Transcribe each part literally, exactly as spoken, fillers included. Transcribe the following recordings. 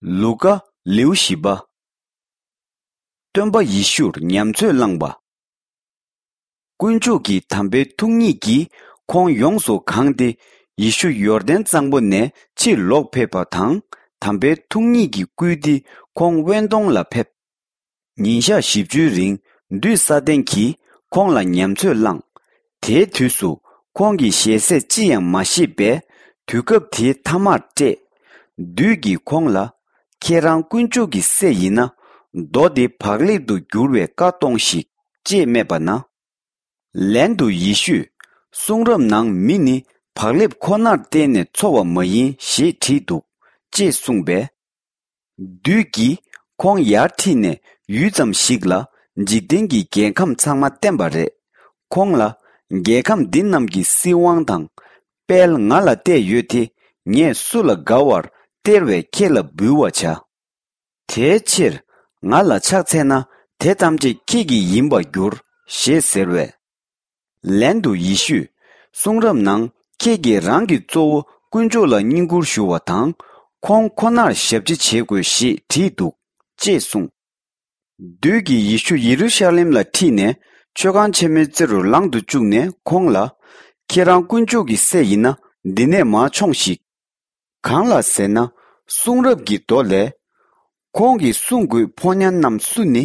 ལུ་ཀ། ལེའུ་བཞི་པ། སྟོན་པ་ཡེ་ཤུར་ཉམས་ཚོད་བླངས་པ། དཀོན་མཆོག་གི་དམ་པའི་ཐུགས་ཉིད་ཀྱིས་ཁོང་ཡོངས་སུ་གང་སྟེ། ཡེ་ཤུ་ཡོར་དན་གཙང་པོ་ནས་ཕྱིར་ལོག་ཕེབས་པ་དང་། དམ་པའི་ཐུགས་ཉིད་ཀྱིས་བསྐུལ་ཏེ་ཁོང་དབེན་དོང་ལ་ཕེབས། ཉིན་ཞག་བཞི་བཅུའི་རིང་བདུད་ས་ཏན་གྱིས་ཁོང་ལ་ཉམས་ཚོད་བླངས། དེའི་དུས་སུ་ཁོང་གིས་ཞལ་ཟས་ཅི་ཡང་མ་བཞེས་པས། དུས་སྐབས་དེའི་ཐ་མར་བཀྲེས། བདུད་ཀྱིས་ཁོང་ལ། ཁྱེད་རང་དཀོན་མཆོག་གི་སྲས་ཡིན་ན། རྡོ་འདི་བག་ལེབ་ཏུ་འགྱུར་བའི་བཀའ་གཏོང་ཞིག་ཅེས་སྨྲས་པ་ན། ལན་དུ་ཡེ་ཤུས། གསུང་རབ་ནང་མི་ནི་བག་ལེབ་ཁོ་ནར་བརྟེན་ནས་འཚོ་བ་མ་ཡིན་ཞེས་བྲིས་འདུག་ཅེས་གསུངས་པས། བདུད་ཀྱིས་ཁོང་ཡར་ཁྲིད་ནས་ཡུད་ཙམ་ཞིག་ལ་འཇིག་རྟེན་གྱི་རྒྱལ་ཁམས་ཚང་མ་བསྟན་པ་རེད། ཁོང་ལ། རྒྱལ་ཁམས་འདི་རྣམས་ཀྱི་སྲིད་དབང་དང་། དཔལ་ང་ལ་གཏད་ཡོད་དེ། ངས་སུ་ལ་དགའ་བར་སྟེར་བས་ཁྱེད་ལ་འབུལ་བར་བྱ། དེའི་ཕྱིར། ང་ལ་ཕྱག་འཚལ་ན་དེ་ཐམས་ཅད་ཁྱེད་ཀྱི་ཡིན་པར་འགྱུར་ཞེས་ཟེར་བས། ལན་དུ་ཡེ་ཤུས། གསུང་རབ་ནང་ཁྱེད་ཀྱིས་རང་གི་གཙོ་བོ་དཀོན་མཆོག་ལ་བསྙེན་བཀུར་ཞུ་བ་དང་། ཁོང་ཁོ་ནར་ཞབས་ཕྱི་བྱེད་དགོས་ཞེས་བྲིས་འདུག་ཅེས་གསུངས། བདུད་ཀྱིས་ཡེ་ཤུ་ཡེ་རུ་ཤ་ལེམ་ལ་ཁྲིད་ནས་མཆོད་ཁང་ཆེན་མོའི་རྩེ་རུ་ལངས་དུ་བཅུག་ནས་ཁོང་ལ། ཁྱེད་རང་དཀོན་མཆོག་གི་སྲས་ཡིན་ན་འདི་ནས་མར་མཆོངས་ཤིག་གང་ལ་ཟེར་ན། གསུང་རབ་ཀྱི་མདོ་ལས། ཁོང་གིས་གསུང་དགོས་ཕོ་ཉ་རྣམས་སུ་ནི།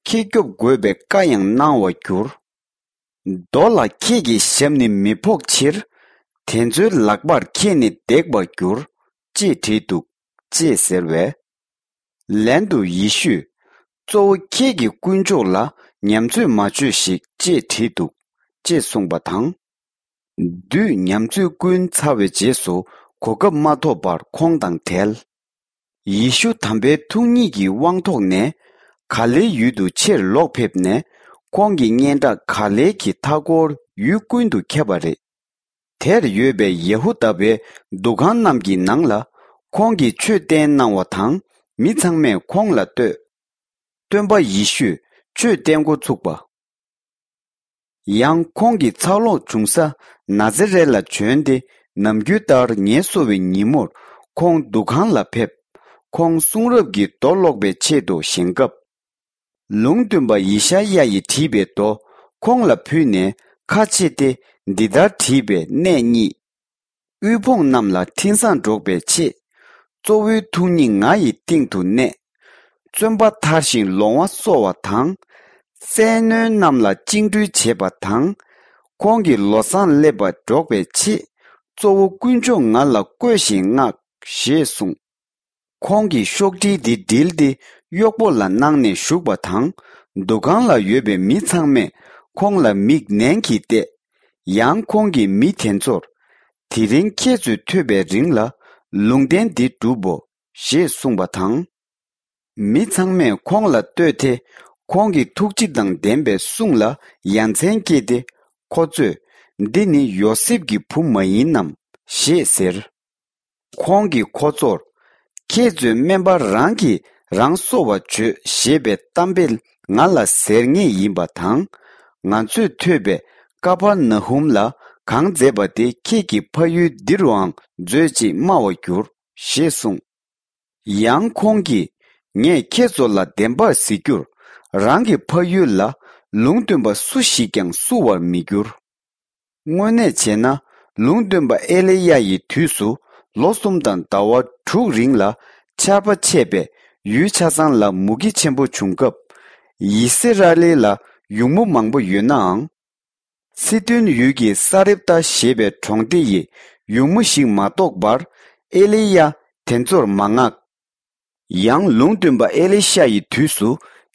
ཁྱེད་སྐྱོབ་དགོས་པའི་བཀའ་ཡང་གནང་བར་འགྱུར། རྡོ་ལ་ཁྱེད་ཀྱི་ཞབས་ནི་མི་ཕོག་ཕྱིར། དེ་ཚོའི་ལག་པར་ཁྱེད་ནི་འདེགས་པར་འགྱུར། ཅེས་བྲིས་འདུག་ཅེས་ཟེར་བས། ལན་དུ་ཡེ་ཤུས། གཙོ་བོ་ཁྱེད་ཀྱི་དཀོན་མཆོག་ལ་ཉམས་ཚོད་མ་བྱོས་ཤིག་ཅེས་བྲིས་འདུག་ཅེས་གསུངས་པ་དང་། བདུད་ཉམས་ཚོད་བསྐུལ་ཚར་བའི་རྗེས་སུ་གོ་སྐབས་མ་ཐོབ་པར་ཁོང་དང་བྲལ། ཡེ་ཤུ་དམ་པའི་ཐུགས་ཉིད་ཀྱི་དབང་ཐོག་ནས་ག་ལེའི་ཡུལ་དུ་ཕྱིར་ལོག་ཕེབས་ནས། ཁོང་གི་སྙན་གྲགས་ག་ལེ་གི་མཐའ་འཁོར་ཡུལ་ཀུན་ཏུ་ཁྱབ་པ་རེད། དེར་ཡོད་པའི་ཡ་ཧུ་དཱ་པའི་འདུ་ཁང་རྣམས་ཀྱི་ནང་ལ་ཁོང་གིས་ཆོས་བསྟན་གནང་བ་དང་། མི་ཚང་མས་ཁོང་ལ་ལྟོས། སྟོན་པ་ཡེ་ཤུས་ཆོས་བསྟན་འགོ་ཚུགས་པ། ཡང་ཁོང་གི་ཚར་ལོངས་བྱུང་ས་ན་ཛེ་རེད་ལ་བྱོན་ཏེ། ནམ་རྒྱུན་ལྟར་ངལ་གསོ་བའི་ཉིན་མོར་ཁོང་འདུ་ཁང་ལ་ཕེབས། ཁོང་གསུང་རབ་ཀྱི་མདོ་ཀློག་པའི་ཆེད་དུ་བཞེངས་སྐབས། ལུང་སྟོན་པ་ཡེ་ཤ་ཡ་ཡིས་བྲིས་པའི་མདོ་ཁོང་ལ་ཕུལ་ནས་ཁ་ཕྱེ་སྟེ། འདི་ལྟར་བྲིས་པའི་གནས་རྙེད། དབུལ་ཕོངས་རྣམས་ལ་འཕྲིན་བཟང་སྒྲོག་པའི་ཆེད། གཙོ་བོའི་ཐུགས་ཉིད་ང་ཡི་སྟེང་དུ་གནས། བཙོན་པ་ཐར་ཞིང་ལོང་བ་གསོ་བ་དང་། བཙན་གནོན་རྣམས་ལ་བཅིངས་འགྲོལ་བྱེད་པ་དང་། ཁོང་གི་ལོ་བཟང་སླེབས་པ་སྒྲོག་པའི་ཆེད། གཙོ་བོ་དཀོན་མཆོག་ང་ལ་བསྐོས་ཤིང་བསྔགས་ཞེས་གསུངས། ཁོང་གིས་ཤོག་དྲིལ་འདི་དྲིལ་ཏེ་གཡོག་པོ་ལ་གནང་ནས་བཞུགས་པ་དང་། འདུ་ཁང་ལ་ཡོད་པའི་མི་ཚང་མས་ཁོང་ལ་མིག་ནན་གྱིས་བལྟས། ཡང་ཁོང་གིས་མི་དེ་ཚོར། དེ་རིང་ཁྱེད་ཚོས་ཐོས་པའི་རིང་ལ་ལུང་བསྟན་འདི་སྒྲུབ་བོ། ཞེས་གསུངས་པ་དང་། མི་ཚང་མས་ཁོང་ལ་ལྟོས་ཏེ། ཁོང་གི་ཐུགས་རྗེ་དང་ལྡན་པའི་གསུང་ལ་ཡ་མཚན་སྐྱེས་ཏེ། ཁོ་ཚོས། འདི་ནི་ཡོ་སེབ་ཀྱི་བུ་མ་ཡིན་ནམ། ཞེས་ཟེར། ཁོང་གིས་ཁོ་ཚོར། ཁྱེད་ཚོས་སྨན་པ་རང་གིས་རང་གསོ་བར་བྱོས་ཞེས་པའི་གཏམ་དཔེ་ང་ལ་ཟེར་ངེས་ཡིན་པ་དང་། ང་ཚོས་ཐོས་པའི་ཀ་ཕར་ན་ཧུམ་ལ་གང་མཛད་པ་དེ་ཁྱེད་ཀྱི་ཕ་ཡུལ་འདི་རུའང་མཛོད་ཅེས་སྨྲ་བར་འགྱུར། ཞེས་གསུངས། ཡང་ཁོང་གིས། ངས་ཁྱེད་ཚོ་ལ་བདེན་པར་ཟེར་རྒྱུར། རང་གི་ཕ་ཡུལ་ལ་ལུང་སྟོན་པ་སུ་ཞིག་ཀྱང་བསུ་བར་མི་འགྱུར། དངོས་གནས་བྱས་ན། ལུང་སྟོན་པ་ཨེ་ལི་ཡ་ཡི་དུས་སུ་ལོ་གསུམ་དང་ཟླ་བ་དྲུག་རིང་ལ་ཆར་པ་ཆད་པས་ཡུལ་ཆ་ཚང་ལ་མུ་གེ་ཆེན་པོ་བྱུང་སྐབས། ཡི་སི་ར་ཨེལ་ལ་ཡུགས་མོ་མང་པོ་ཡོད་ནའང་། ཚི་དོན་ཡུལ་གྱི་ས་རེབ་ཏ་ཞེས་པའི་གྲོང་སྡེ་ཡི་ཡུགས་མོ་ཞིག་མ་གཏོགས་པར་ཨེ་ལི་ཡ་དེ་ཚོར་མ་མངགས། ཡང་ལུང་སྟོན་པ་ཨེ་ལི་ཤ་ཡི་དུས་སུ་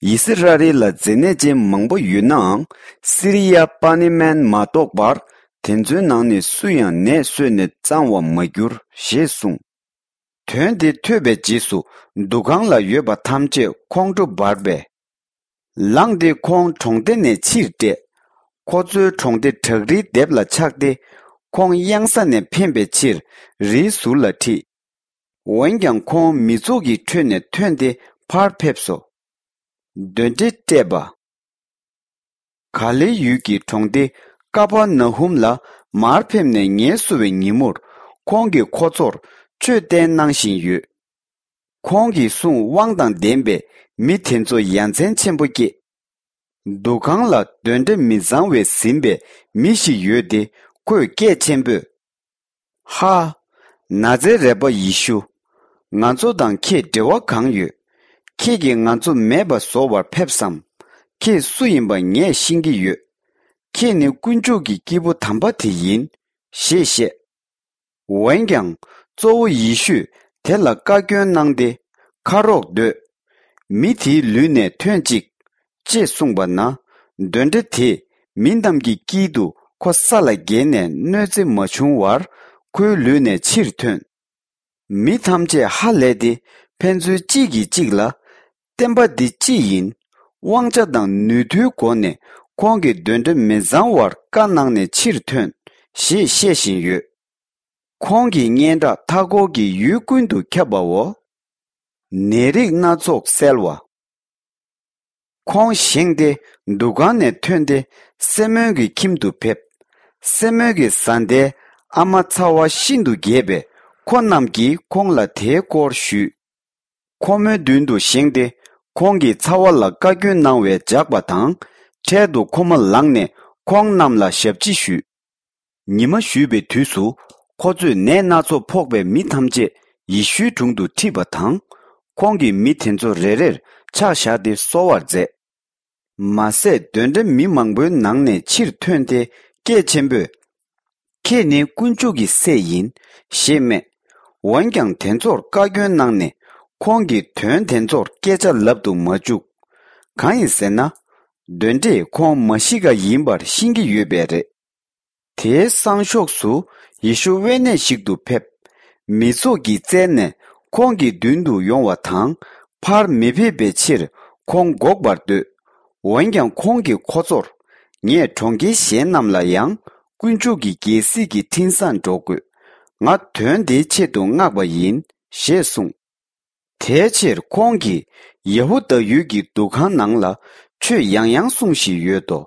ཡི་སི་ར་ཨེལ་ལ་མཛེ་ནད་ཅན་མང་པོ་ཡོད་ནའང་སི་རི་ཡ་པ་ནི་མན་མ་གཏོགས་པར་དེ་ཚོའི་ནང་ནས་སུ་ཡང་ནད་གསོས་ནས་གཙང་བར་མ་གྱུར་ཞེས་གསུངས། དོན་དེ་ཐོས་པའི་རྗེས་སུ་འདུ་ཁང་ལ་ཡོད་པ་ཐམས་ཅད་ཁོང་ཁྲོ་འབར་བས། ལངས་ཏེ་ཁོང་གྲོང་སྡེ་ནས་ཕྱིར་བསྐྲད། ཁོ་ཚོའི་གྲོང་སྡེ་བྲག་རིའི་ལྡེབས་ལ་ཆགས་ཏེ། ཁོང་གཡང་ས་ནས་འཕེན་པའི་ཕྱིར་རིའི་ཟུར་ལ་ཁྲིད། འོན་ཀྱང་ཁོང་མི་ཚོགས་ཀྱི་ཁྲོད་ནས་ཐོན་ཏེ་ཕར་ཕེབས་སོ། གདོན་འདྲེ་བསྐྲད་པ། ག་ལེ་ཡུལ་གྱི་གྲོང་སྡེ་ཀ་པར་ན་ཧུམ་ལ་མར་ཕེབས་ནས་ངལ་གསོ་བའི་ཉིན་མོར་ཁོང་གིས་ཁོ་ཚོར་ཆོས་བསྟན་གནང་བཞིན་ཡོད། ཁོང་གིས་གསུངས། དབང་དང་ལྡན་པའི་མི་དེ་ཚོ་ཡ་མཚན་ཆེན་པོ་སྐྱེས། འདུ་ཁང་ལ་གདོན་འདྲེ་མི་གཙང་བས་ཟིན་པའི་མི་ཞིག་ཡོད་དེ། ཁོས་སྐད་ཆེན་པོས། ཧ། ན་ཛེ་རད་པ་ཡེ་ཤུ། ང་ཚོ་དང་ཁྱེད་འབྲེལ་བ་གང་ཡོད། ཁྱེད་ཀྱིས་ང་ཚོ་མེད་པ་བཟོ་བར་ཕེབས་སམ། ཁྱེད་སུ་ཡིན་པ་ངས་ཤེས་ཀྱི་ཡོད། ཁྱེད་ནི་དཀོན་མཆོག་གི་སྐྱེས་བུ་དམ་པ་དེ་ཡིན། ཞེས་བཤད། འོན་ཀྱང་གཙོ་བོ་ཡེ་ཤུས་དེ་ལ་བཀའ་བཀྱོན་གནང་སྟེ། ཁ་རོག་སྡོད། མི་དེའི་ལུས་ནས་ཐོན་ཅིག་ཅེས་གསུངས་པ་ན། གདོན་འདྲེ་དེས་མི་རྣམས་ཀྱི་དཀྱིལ་དུ་ཁོ་ས་ལ་འགྱེལ་ནས་གནོད་འཚེ་མ་བྱུང་བར་ཁོའི་ལུས་ནས་ཕྱིར་ཐོན། མི་ཐམས་ཅད་ཧ་ལས་ཏེ་ཕན་ཚུན་གཅིག་གིས་གཅིག་ལ། བསྟན་པ་འདི་ཅི་ཡིན། དབང་ཆ་དང་ནུས་མཐུའི་སྒོ་ནས་ཁོང་གིས་གདོན་འདྲེ་མི་གཙང་བར་བཀའ་གནང་ནས་ཕྱིར་ཐོན། ཞེས་བཤད་བཞིན་ཡོད། ཁོང་གི་སྙན་གྲགས་མཐའ་འཁོར་གྱི་ཡུལ་ཀུན་ཏུ་ཁྱབ་པའོ། ནད་རིགས་སྣ་ཚོགས་སེལ་བ། ཁོང་བཞེངས་ཏེ་འདུ་ཁང་ནས་ཐོན་ཏེ་སེ་མོན་གྱི་ཁྱིམ་དུ་ཕེབས། སེ་མོན་གྱི་བཟའ་ཟླའི་ཨ་མ་ཚ་བ་ཤིན་ཏུ་རྒྱས་པས་ཁོ་རྣམས་ཀྱིས་ཁོང་ལ་དེའི་སྐོར་ཞུས། ཁོ་མོའི་མདུན་དུ་བཞེངས་ཏེ་ཁོང་གིས་ཚ་བ་ལ་བཀའ་བཀྱོན་གནང་བའི་ཇག་པ་དང་། འཕྲལ་དུ་ཁོ་མོ་ལངས་ནས་ཁོང་རྣམས་ལ་ཞབས་ཕྱི་ཞུས། ཉི་མ་བཞུད་པའི་དུས་སུ་ཁོ་ཚོས་ནད་སྣ་ཚོགས་ཕོག་པའི་མི་ཐམས་ཅད་ཡེ་ཤུའི་དྲུང་དུ་ཁྲིད་པ་དང་། ཁོང་གིས་མི་དེ་ཚོ་རེ་རེར་ཕྱག་བཞག་སྟེ་གསོ་བར་མཛད། མ་ཟད་གདོན་འདྲེ་མི་མང་པོའི་ནང་ནས་ཕྱིར་ཐོན་ཏེ་སྐད་ཆེན་པོས། ཁྱེད་ནི་དཀོན་མཆོག་གི་སྲས་ཡིན། ཞེས་སྨྲས། འོན་ཀྱང་དེ་ཚོར་བཀའ་བཀྱོན་གནང་ནས་ཁོང་གིས་དོན་དེ་ཚོར་སྐད་ཆ་ལབ་ཏུ་མ་བཅུག་གང་ཡིན་ཟེར་ན། གདོན་འདྲེས་ཁོང་མ་ཤི་ཀ་ཡིན་པར་ཤེས་ཀྱི་ཡོད་པས་རེད། དེའི་སང་ཞོགས་སུ་ཡེ་ཤུ་དབེན་གནས་ཤིག་ཏུ་ཕེབས། མི་ཚོགས་ཀྱིས་བཙལ་ནས་ཁོང་གི་མདུན་དུ་ཡོང་བ་དང་། ཕར་མི་ཕེབས་པའི་ཕྱིར་ཁོང་འགོག་པར་འདོད། འོན་ཀྱང་ཁོང་གིས་ཁོ་ཚོར། ངས་གྲོང་ཁྱེར་གཞན་རྣམས་ལ་ཡང་དཀོན་མཆོག་གི་རྒྱལ་སྲིད་ཀྱི་འཕྲིན་བཟང་སྒྲོག་དགོས། ང་དོན་དེའི་ཆེད་དུ་མངགས་པ་ཡིན། ཞེས་གསུངས། དེའི་ཕྱིར་ཁོང་གིས་ཡ་ཧུ་དཱ་ཡུལ་གྱི་འདུ་ཁང་ནང་ལ་ཆོས་ཡང་ཡང་གསུང་བཞིན་ཡོད་དོ།